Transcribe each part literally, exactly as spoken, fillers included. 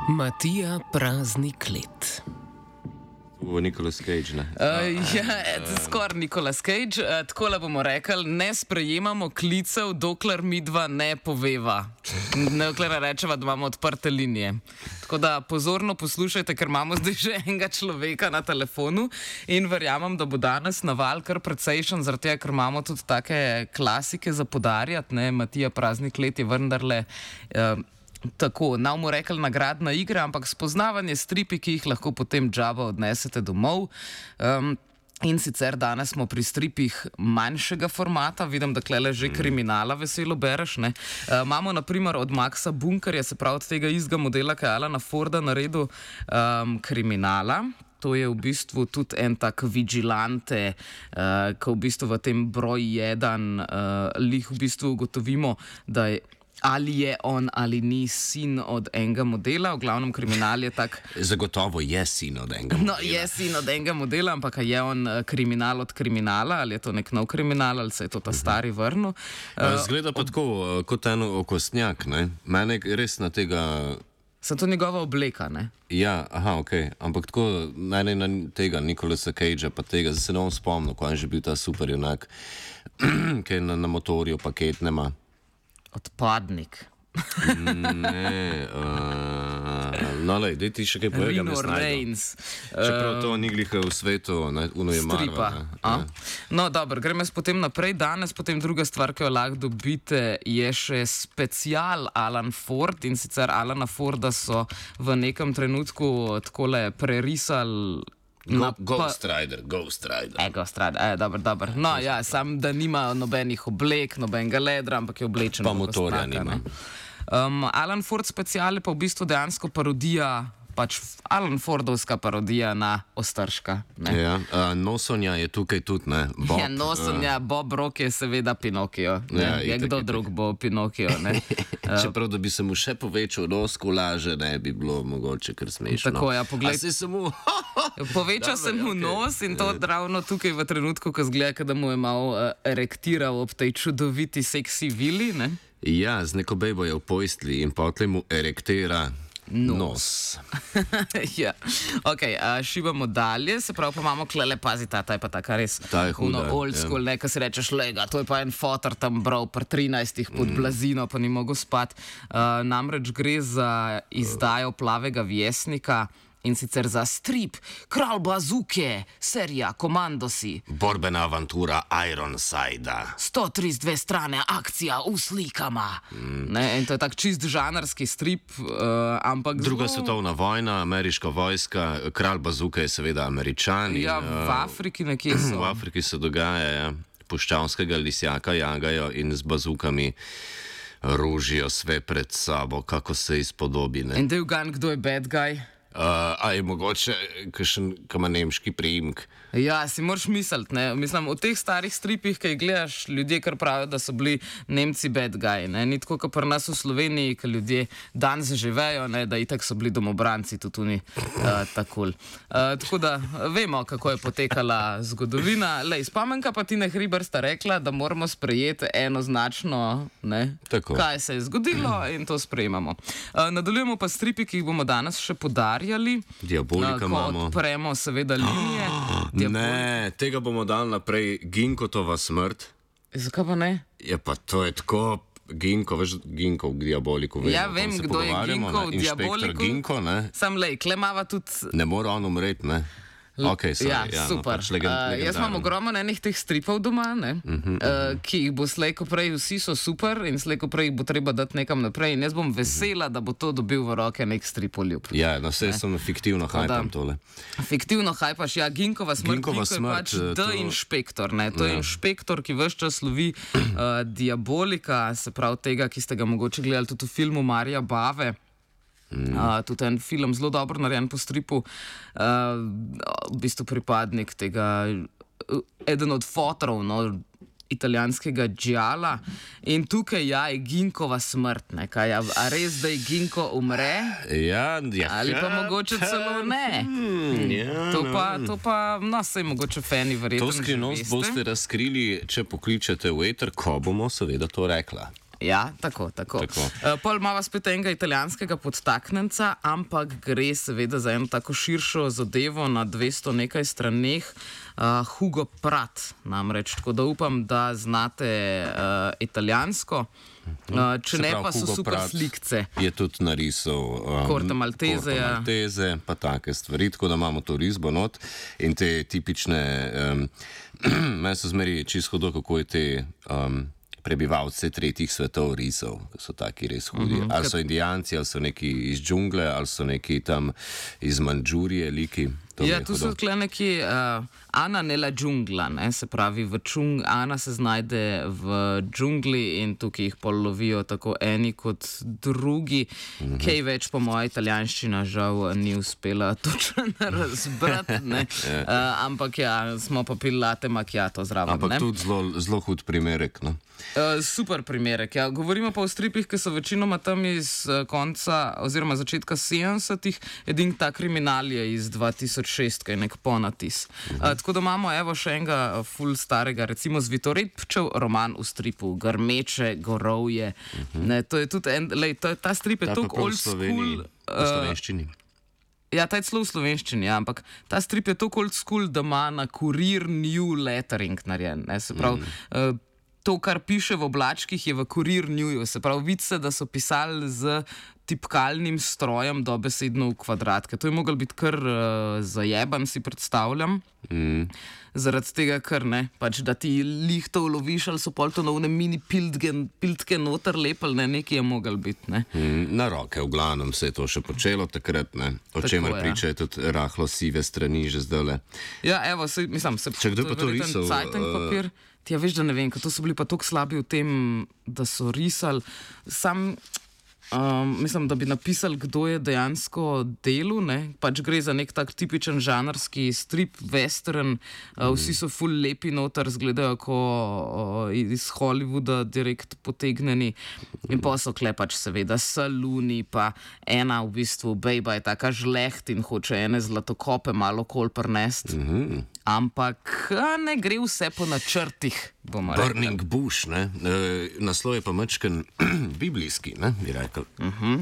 Matija prazni klet. V Nicolas Cage, ne? Uh, ja, skoraj Nicolas Cage. Uh, tako le bomo rekli, ne sprejemamo klicev, dokler midva ne poveva. Dokler rečeva, da imamo odprte linije. Tako da pozorno poslušajte, ker imamo zdaj že enega človeka na telefonu in verjamem, da bo danes naval kar precejšen, zaradi tega, ker imamo tudi take klasike za podarjati. Ne? Matija prazni klet je vendarle... Uh, Tako, nam mu rekli nagradna igra, ampak spoznavanje stripi, ki jih lahko potem džaba odnesete domov. Um, in sicer danes smo pri stripih manjšega formata, vidim, da klele že kriminala veselo bereš. Ne? Uh, imamo naprimer od Maxa Bunkerja, se pravi od tega istega modela, ki je Alana Forda naredil um, kriminala. To je v bistvu tudi en tak vigilante, uh, ko v bistvu v tem broj jedan uh, lih v bistvu ugotovimo, da je ali je on ali ni sin od enega modela, v glavnem kriminal je tak... Zagotovo je sin od enega modela. No, je sin od enega modela, ampak je on kriminal od kriminala, ali je to nek nov kriminal, ali se je to ta stari vrnil. Uh, Zgleda pa od... tako, kot eno okostnjak, ne? Mene res na tega... Sem to njegova obleka, ne? Ja, aha, ok. Ampak tako, mene na tega Nicolasa Cagea, pa tega, zdaj se ne bom spomnil, ko je že bil ta super junak, ki je na, na motorju paket nema. Odpadnik. Ne, uh, no, lej, dej ti še kaj povega, Rino Reigns. Čeprav to ni glih v svetu, uno je Stripa. Marvel. No, dobro, gremo jaz potem naprej. Danes potem druga stvar, ki jo lahko dobite, je še special Alan Ford, in sicer Alana Forda so v nekem trenutku takole prerisali. Go, Ghost Rider, Ghost Rider. E, Ghost Rider, e, dobro, dobro. No, ja, sam, da nima nobenih oblek, nobenega ledra, ampak je oblečen. Pa motorja nima. Um, Alan Ford special je pa v bistvu dejansko parodija, pač Alan Fordovska parodija na Ostržka. Ja, uh, Nosonja je tukaj tudi, ne? Bob, ja, Nosonja, uh, Bob Rock je seveda Pinokio. Ja, je itak, kdo itak. drug bo Pinokio, ne? Čeprav, da bi se mu še povečal nos, kolaže, ne bi bilo mogoče kar smešno. Tako, ja, poglej. A se samo... Poveča se mu nos in to ravno tukaj v trenutku, ko zgleda, da mu je malo uh, erektiral ob tej čudoviti seksi vili, ne? Ja, z neko bejbo je v pojstli in potlej mu erektira nos. nos. Ja, ok, uh, šivamo dalje, se pravi, pa imamo klele, pazi, ta, ta je pa taka res ta je huda, old school, ja. Ne, ko si rečeš, lega, to je pa en fotor tam bral pri trinajstih pod mm. blazino, pa ni mogel spati. Uh, namreč gre za izdajo Plavega vjesnika, in sicer za strip Kralj bazuke, serija Komandosi. Borbena avantura Ironsida. sto trideset dve strane, akcija v slikama. Mm. Ne, in to je tak čist žanrski strip, uh, ampak... Druga zelo... svetovna vojna, ameriška vojska, Kralj bazuke je seveda Američan. Ja, in, v Afriki nekje so. V Afriki se dogaja, ja. Puščavskega lisjaka jagajo in z bazukami ružijo sve pred sabo, kako se izpodobi. Ne? In da je ugan, kdo je bad guy? Uh, a je mogoče, kakšen, ki ima nemški priimek? Ja, si moraš misliti, ne? Mislim, v teh starih stripih, ki jih gledaš, ljudje kar pravijo, da so bili Nemci bad guy, ne? Ni tako, kot pri nas v Sloveniji, ki ljudje danes živejo, ne? Da itak so bili domobranci, tudi oni uh, tako. Uh, tako da vemo, kako je potekala zgodovina. Lej, spomenka pa Tina Hribar sta rekla, da moramo sprejeti enoznačno, ne? Kaj se je zgodilo in to sprejemamo. Uh, nadaljujemo pa stripi, ki jih bomo danes še podarjali. Diabolika uh, imamo. Odpremo seveda linije. Ne, tega bomo dali naprej, Ginkotova smrt. Zakaj pa ne? Ja, pa to je tako, Ginko, veš, Ginko v Diaboliku. Vemo, ja, vem, kdo je Ginko v Diaboliku. Ginko, ne? Sam lej, klemava tudi... Ne mora on umreti, ne? Okay, sorry, ja, ja, super. No, pač legend, uh, jaz imam ogromno enih teh stripov doma, ne, uh -huh, uh, ki jih bo slejko prej, vsi so super in slejko prej bo treba dati nekam naprej in jaz bom vesela, da bo to dobil v roke nek stripoljub. Ja, no, vse sem fiktivno hajpam tole. Fiktivno hajpaš, ja, Ginkova smrt, Ginkova Ginko smrt, je pač to... The Inšpektor, ne, to ja. je inšpektor, ki ves čas lovi uh, Diabolika, se pravi tega, ki ste ga mogoče gledali tudi v filmu Marija Bave. Mm. Uh, tudi en film, zelo dobro narejen po stripu, uh, v bistvu pripadnik tega, uh, eden od fotorov, no, italijanskega džala. In tukaj ja, je Ginkova smrt, ne, kaj, a, a res, da je Ginko umre? Ja, ja. Ali pa mogoče celo ne? Hmm, ja, to, pa, to pa, no, sej mogoče fani verjetno. To skrivnost boste razkrili, če pokličete v eter, ko bomo seveda to rekla. Ja, tako, tako. tako. Uh, pol imamo spet enega italijanskega podtaknjenca, ampak gre seveda za eno tako širšo zadevo na dvesto nekaj straneh. Uh, Hugo Pratt namreč, tako da upam, da znate uh, italijansko. Uh, če ne, pa so super slikce. Je tudi narisal um, Korte Malteze, ja. Malteze, pa take stvari, tako da imamo to risbo not in te tipične, um, meni so zmeri čisto hudo, kako je te um, prebivalce tretjih svetov risal, ki so taki res hudi. Uh -huh. Ali so indijanci, ali so neki iz džungle, ali so neki tam iz Mandžurije, liki. Ja, tu so tukaj neki uh, Ana nella džungla, ne, se pravi, v džung, Ana se znajde v džungli in tukaj jih pol lovijo tako eni kot drugi. Mm -hmm. Kaj več po moja italijanščina žal ni uspela točno razbrati, ne. uh, ampak ja, smo pa pili latte macchiato zraven. Ampak ne? Tudi zelo, zelo hud primerek, no. Uh, super primerek, ja. Govorimo pa o stripih, ki so večinoma tam iz uh, konca oziroma začetka sedemdesetih, edin ta kriminal je iz dva tisoč šest, ki je nek ponatis. Uh, tako da imamo evo še enega ful starega, recimo Zvitorepčev roman v stripu, Grmeče gorovje. Uh -huh. Ne, to je tudi en, lej, to, ta strip je toliko old school. V slovenščini. Ja, ta je celo v slovenščini, ja, ampak ta strip je toliko old school, da ima na kurir new lettering narejen. Ne, se pravi, uh, uh, to, kar piše v oblačkih, je v Kurir News. Se pravi, vidi se, da so pisali z tipkalnim strojem dobesedno v kvadratke. To je moglo biti kar uh, zajeban, si predstavljam. Mm. Zaradi tega, ker ne, pač, da ti lih to uloviš, ali so pol to novne mini piltke, piltke noter lepel, ne, nekaj je moglo biti. Ne. Mm, na roke, v glavnem se je to še počelo takrat, ne. O čemer ja. Pričajo tudi rahlo sive strani že zdajle. Ja, evo, se, mislim, se... Če kdo pa to risal... Uh... Ja, veš, da ne vem, ker to so bili pa tako slabi v tem, da so risali. Sam, um, mislim, da bi napisali, kdo je dejansko delal, ne? Pač gre za nek tak tipičen žanrski strip, western, uh, vsi so ful lepi noter, zgledajo kot uh, iz Hollywooda direkt potegnjeni. In pa so kle pač seveda saluni, pa ena v bistvu bejba je taka žleht in hoče ene zlatokope malo kol prnest. Mm-hmm. Ampak ne gre vse po načrtih, bomo rekli. Burning Bush, ne? E, naslov je pa mačken biblijski, ne, bi rekel. Uh -huh.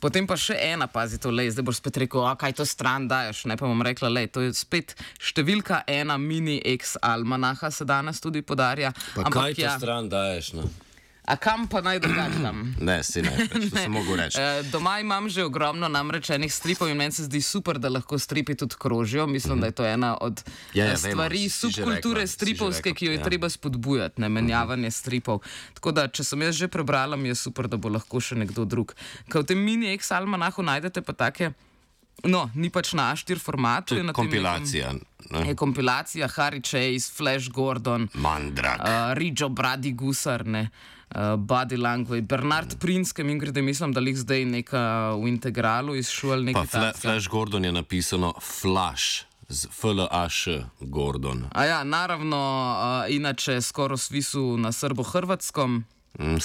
Potem pa še ena, pazi to, lej, zdaj boš spet rekel, a kaj to stran daješ, ne, pa bom rekla, lej, to je spet številka ena mini ex-almanaha se danes tudi podarja. Pa ampak kaj to ja, stran daješ, ne? A kam pa naj drugačam? Ne, si ne, to sem mogel reči. E, doma imam že ogromno namreč enih stripov in meni se zdi super, da lahko stripi tudi krožijo. Mislim, mm-hmm. da je to ena od ja, ja, stvari vemo, subkulture rekla, stripovske, ki jo je ja. treba spodbujati, ne menjavanje mm-hmm. stripov. Tako da, če sem jaz že prebrala, mi je super, da bo lahko še nekdo drug. Kaj v tem mini ex-almanahu najdete pa take, no, ni pač na A štiri formatu. Je kompilacija. Tem, je kompilacija, Harry Chase, Flash Gordon, Mandrak, uh, Rijo Brady Gusar, ne. Uh, Body Language, Bernard Prince, ki mi grede, mislim, da jih zdaj neka v integralu izšul nekaj takega. Flash Gordon je napisano Flash, z F L A Š Gordon. A ja, naravno, uh, inače skoro svisu na srbo-hrvatskom. Mm,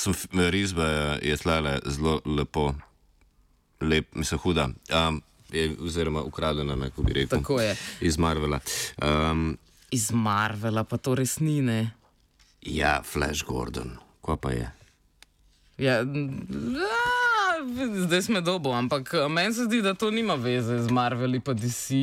risba je tlele zelo lepo, lep, mislim, huda. Um, je, oziroma ukradena, neko bi rekel. Tako je. Iz Marvela. Um, Iz Marvela, pa to res ni, ne? Ja, Flash Gordon. Kaj pa je? Ja, zdaj sme dobo, ampak meni se zdi, da to nima veze z Marveli pa D C,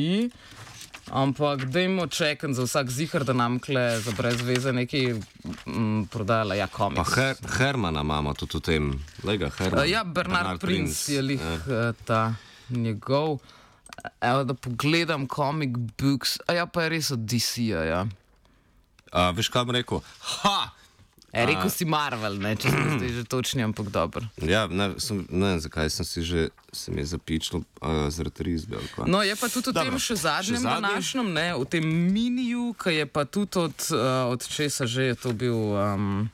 ampak dajmo čekati za vsak zihar, da nam kle za brez veze nekaj m, prodala, ja, komiks. Pa Her Hermana imamo tudi v tem, lega Hermana. Ja, Bernard, Bernard Prince, Prince je lih ja. ta njegov. Evo, da pogledam comic books, a ja, pa je res od D C-a, ja. A, veš, kaj bom rekel? Ha! E, rekel si Marvel, ne, če sem zdaj že točni, ampak dobro. Ja, ne, sem, ne, zakaj sem si že, se mi je zapičil uh, zaradi risbe. No, je pa tudi v tem še zadnjem današnjem, ne, v tem miniju, ki je pa tudi od, uh, od česa že je to bil... Um,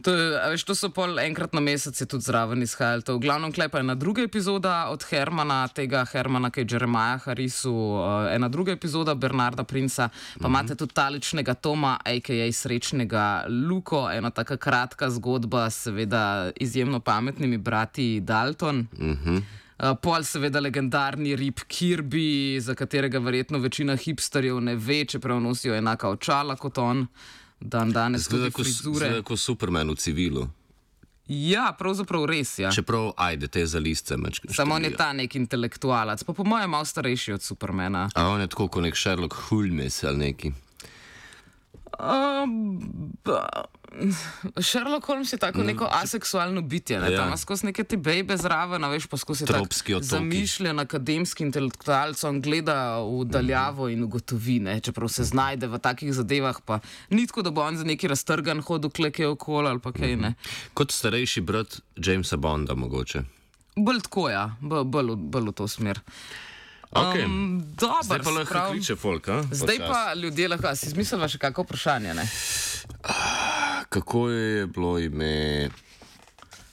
To, veš, to so pol enkrat na mesec je tudi zraven izhajali. To v glavnem klepa je ena druga epizoda od Hermana, tega Hermana, ki je Jeremiah Harrisu, uh, ena druga epizoda Bernarda Princa, pa mm-hmm. imate tudi taličnega Toma, a k a srečnega Luko, ena taka kratka zgodba, seveda izjemno pametnimi brati Dalton. Mm-hmm. Uh, pol seveda legendarni Rip Kirby, za katerega verjetno večina hipsterjev ne ve, čeprav nosijo enaka očala kot on. Dan danes tudi frizure. Zgleda kot Superman v civilu. Ja, pravzaprav res, ja. Čeprav, ajde, te za listce mečke. Samo on je ta nek intelektualac, pa po mojem malo starejši od Supermana. A on je tako kot nek Sherlock Holmes ali neki. Uh, Sherlock Holmes je tako neko aseksualno bitje, ne? Ja. Tam ima skozi neke te bejbe zraven, a veš, pa skozi Tropski tak otoki. zamišljen akademski intelektualec, on gleda v daljavo in ugotovi, ne? Čeprav se znajde v takih zadevah, pa ni tako, da bo on za neki raztrgan hodil kleke okoli ali pa kaj, ne. Kot starejši brat Jamesa Bonda mogoče. Bolj tako, ja, bolj, bolj, v- bolj v to smer. Okay. Um, dober, Zdaj pa lahko sprav- kliče folk, a? Zdaj Počasi. pa ljudje lahko, a si izmislila še kako vprašanje, ne? Kako je bilo ime?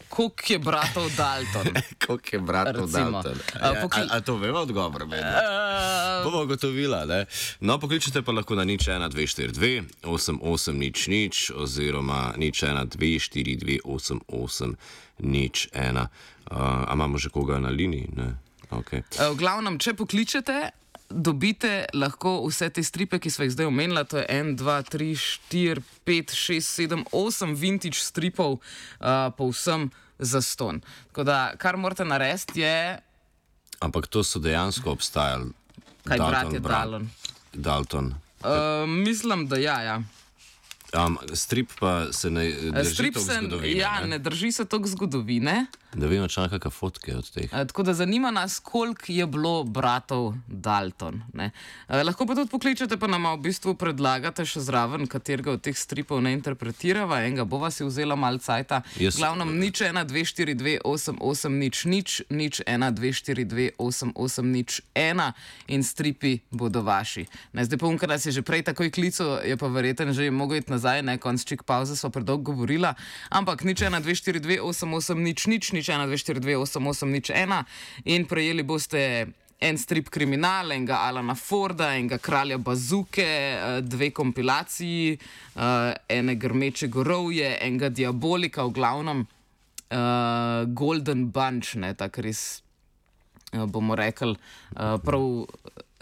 Koliko je bratov Dalton? Koliko je bratov Recimo. Dalton? A, A, pokli- a, a to veva odgovor, meni? Uh, Bomo ugotovila, ne? No, pokličite pa lahko na nič ena dve štiri dve osem osem nič nič oziroma nič ena dve štiri dve osem osem nič ena. Uh, a imamo že koga na liniji? Ne? Okay. v glavnem, če pokličete, dobite lahko vse te stripe, ki smo jih zdaj omenila, to je en, dva, tri, štiri, pet, šest, sedem, osem vintage stripov, uh, povsem zastonj. Tako da, kar morate narediti je, Ampak to so dejansko obstajali. kaj Dalton, brat je brat. Dalton. Dalton. Uh, mislim, da ja, ja. Um, strip pa se ne drži Strip toliko se, zgodovine. ja, ne? ne drži se toliko zgodovine. Da vemo, če kakšne fotke od teh. Uh, tako da zanima nas, koliko je bilo bratov Dalton. Ne? Uh, lahko pa tudi pokličete, pa nam v bistvu predlagate še zraven, katerega od teh stripov ne interpretirava. Enega bova si vzela malo cajta. Jaz- Glavnem, nič ena, dve, štiri, dve, osem, osem, nič, nič, nič ena, dve, štiri, dve, osem, osem, nič, ena in stripi bodo vaši. Ne, zdaj pa unka nas je že prej takoj klical, je pa verjeten že mogel iti nazaj, ne, konc čik pauze so predolgo govorila, ampak nič ena, dve, štiri, dve, osem, osem, nič, nič, nič ena, dve, štiri, dve, osem, osem, nič, ena in prejeli boste en strip Kriminal, enega Alana Forda, enega Kralja Bazuke, eh, dve kompilaciji, eh, ene Grmeče gorovje, enega Diabolika, v glavnem uh, Golden Bunch, ne, tak res, eh, bomo rekli, uh, prav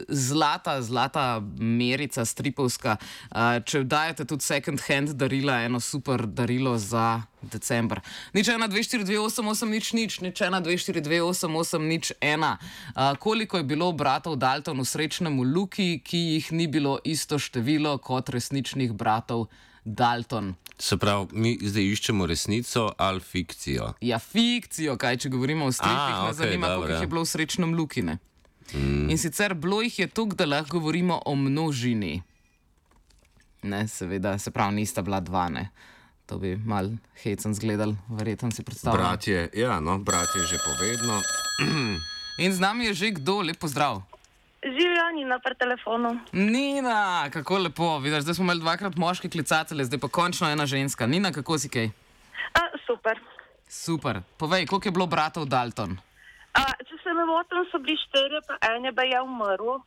zlata, zlata merica stripovska. Uh, če dajete tudi second hand darila, eno super darilo za december. Nič ena, dve, štiri, dve, osem, osem, nič, nič, nič ena, dve, štiri, dve, osem, osem, nič, ena. Uh, koliko je bilo bratov Dalton v srečnemu Luki, ki jih ni bilo isto število kot resničnih bratov Dalton? Se pravi, mi zdaj iščemo resnico ali fikcijo. Ja, fikcijo, kaj če govorimo o stripih, A, me okej, zanima, dobro, koliko jih ja. je bilo v srečnem Lukine. Mm. In sicer bilo jih je toliko, da lahko govorimo o množini. Ne, seveda, se pravi, nista bila dva, ne. To bi mal hecen zgledal, verjetno si predstavljam. Bratje, ja, no, bratje že povedno. In z nami je že kdo, lep pozdrav. Živijo Nina pri telefonu. Nina, kako lepo, vidiš, zdaj smo imeli dvakrat moške klicatelje, zdaj pa končno ena ženska. Nina, kako si kaj? A, super. Super. Povej, koliko je bilo bratov Dalton? A, če se ne motim, so bili štirje, pa en je bil je umrl,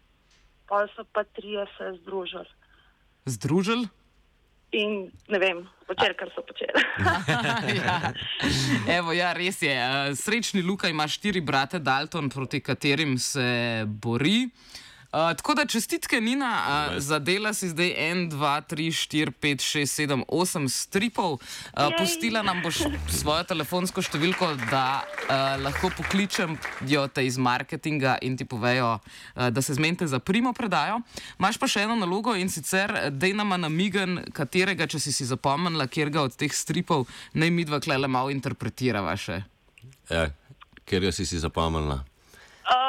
pa so pa trije se združili. Združili? In ne vem, počeli, kar so počeli. ja. Evo, ja, res je. Eh, Srečni Luka ima štiri brate Dalton, proti katerim se bori. Uh, tako da čestitke, Nina, uh, zadela si zdaj en, dva, tri, štiri, pet, šest, sedem, osem stripov. Uh, pustila nam boš svojo telefonsko številko, da uh, lahko pokličem jo te iz marketinga in ti povejo, uh, da se zmenite za primo predajo. Imaš pa še eno nalogo in sicer dej nama namigen, katerega, če si si zapomnila, kjerga od teh stripov naj midva klele malo interpretirava še. Ja, ker jo si si zapomnila. Uh,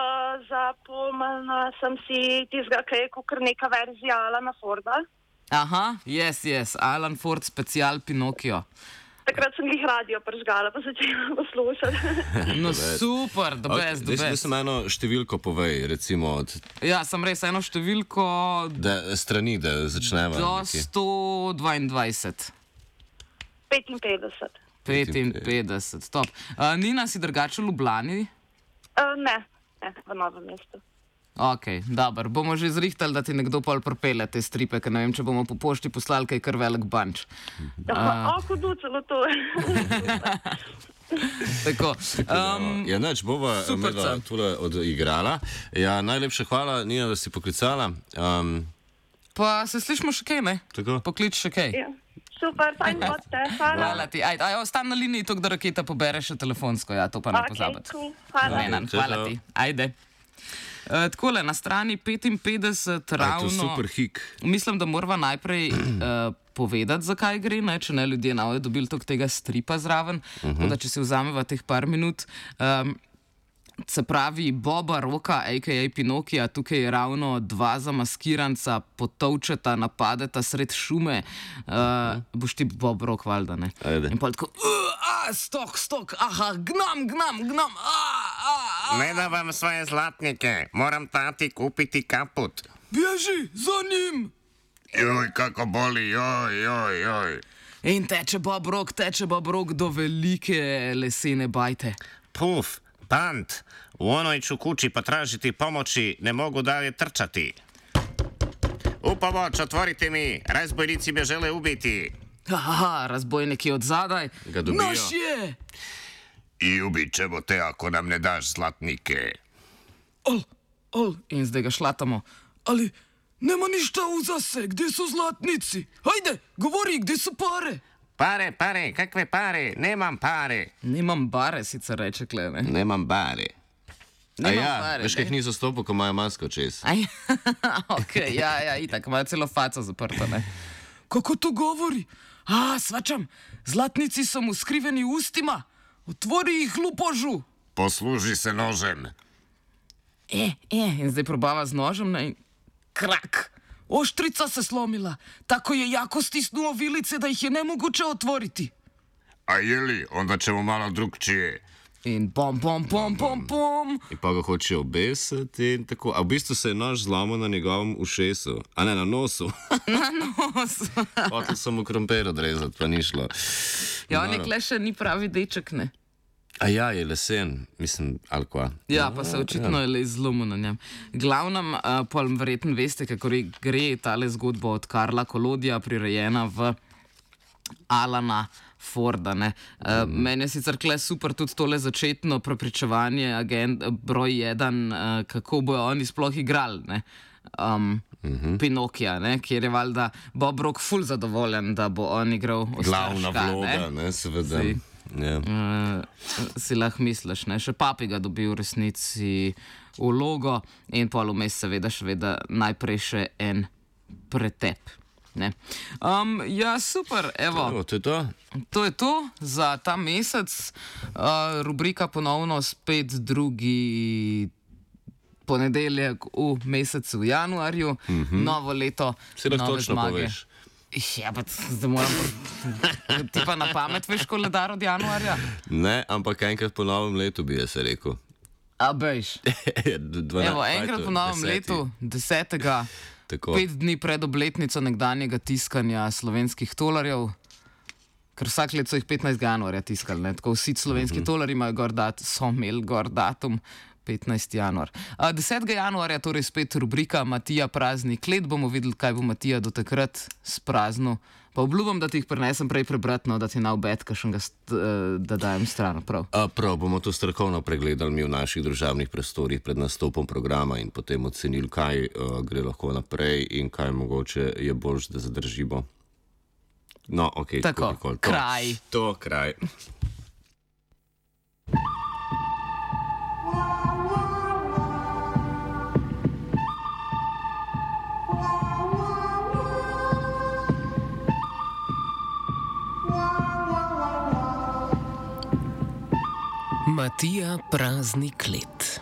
Zapomnila sem si tistega, ki je kot neka verzija Alana Forda. Aha, yes, yes, Alan Ford special Pinokio. Takrat sem jih radio pržgala, pa začela poslušati. No super, the best, the Zdaj best. sem eno številko povej, recimo od Ja, sem res eno številko da, strani, da začneva. do nekje. sto dvaindvajset. petinpetdeset. petinpetdeset, top. Uh, Nina, si drugače v Ljubljani? Uh, ne, ne, v Novem mestu. Ok, dobro. Bomo že zrihtali, da ti nekdo pol propele te stripe, ker ne vem, če bomo po pošti poslali kaj kar velik bunch. Uh, o, hudo celo to. Tako. Um, Ja, neč, bova super, medva Can. tule odigrala. Ja, najlepša hvala, Nina, da si poklicala. Um, pa se slišimo še kaj, ne? tako? Poklič še kaj. Ja. Super, fajn boste, hvala. Hvala ti. Ajde, aj, ostan na liniji, to, da raketa pobere še telefonsko, ja, to pa ne Ok, pozabite. cool, hvala. Lenan, hvala ti. Ajde. Uh, takole, na strani petinpetdeset A je to ravno... super hik. Mislim, da morava najprej uh, povedati, zakaj gre, ne? Če ne ljudje na ojo dobili tok tega stripa zraven. Uh -huh. Tako da, če si vzameva teh par minut. Um, se pravi, Boba Roka, a k a. Pinokija, tukaj je ravno dva zamaskiranca, potovčeta, napadeta sred šume. Uh, uh -huh. Boš ti Bob Rok, valjda, ne? Ajde. In pa tako, uh, stok, stok, aha, gnam, gnam, gnam, a, a, a. Ne da vam svoje zlatnike, moram tati kupiti kaput. Bježi za njim! Joj, kako boli, joj, joj, joj. In teče Bob Rok, teče Bob Rok do velike lesene bajte. Puf, pant, u onoj ću kući potražiti pomoći, ne mogu dalje trčati. U pomoć, otvorite mi, razbojnici me žele ubiti. Aha, razbojnik je od zadaj. Ga dobijo. Naš je! I ubit ćemo te ako nam ne daš zlatnike. Ol, ol, in zdaj ga šlatamo. Ali nema ništa uza se, gdje su zlatnici? Hajde, govori, gdje su pare? Pare, pare, kakve pare, nemam pare. Nemam bare, sicer reče Klene. Nemam bare. A Nemam ja, bare, veš, ne. kaj ni zastopil, ko imajo masko čez. Aj, ok, ja, ja, itak, imajo celo faco zaprto, ne. Kako to govori? A, svačam, zlatnici so mu skriveni ustima. Otvori jih, lupožu. Posluži se nožem. E, e, in zdaj probava z nožem, ne, in krak. Oštrica se slomila. Tako je jako stisnuo vilice, da ih je nemoguće otvoriti. A jeli, onda ćemo malo drugčije. In pom, pom, pom, pom, pom. In pa ga hoče obesiti in tako. A v bistvu se je nož zlomil na njegovem ušesu, a ne na nosu. Na nos. Hotel sem mu krompir odrezati, pa ni šlo. Ja, on je kle še ni pravi deček, ne. A ja, je lesen, mislim, ali kva. Ja, pa se očitno je le zlomil na njem. Glavnem, uh, pol verjetno veste, kako re- gre tale zgodba od Karla Kolodija, prirejena v Alana Forda. Ne. Uh, mm. Meni je sicer kle super tudi tole začetno prepričevanje agent, broj jedan, uh, kako bojo oni sploh igrali. Ne. Um, mm-hmm. Pinokija, ne, kjer je valjda Bob Rok ful zadovoljen, da bo on igral Glavna Ostarška, vloga, ne, seveda. Saj. Ja. Uh, si lahko misliš, ne? Še papi ga dobi v resnici vlogo in pol vmes seveda še veda najprej še en pretep. Ne? Um, ja, super, evo, Evo, to je to. to je to za ta mesec. Uh, rubrika ponovno spet drugi ponedeljek v mesecu januarju, mm-hmm. novo leto, Si lahko nove točno zmage. poveš. Ja, pa zdaj moram. Ti pa na pamet veš koledar od januarja? Ne, ampak enkrat po novem letu bi jaz rekel. A bejš. dvanajst, Evo, enkrat po novem deseti. letu, desetega, Tako. pet dni pred obletnico nekdanjega tiskanja slovenskih tolarjev, ker vsak let so jih petnajstega januarja tiskali, ne? Tako vsi slovenski mm-hmm. tolari imajo gor dat, so imeli gor datum. petnajsti januar. A, desetega januarja torej spet rubrika Matija prazni klet. Bomo videli, kaj bo Matija do takrat spraznil. Pa obljubam, da ti jih prinesem prej prebrati, no, da ti na obed, kakšnega da dajem stran. Prav. A, prav, bomo to strokovno pregledali mi v naših državnih prostorih pred nastopom programa in potem ocenili, kaj uh, gre lahko naprej in kaj mogoče je boljš, da zadržimo. No, ok. Tako, tako, to, kraj. To, kraj. Matija prazni klet.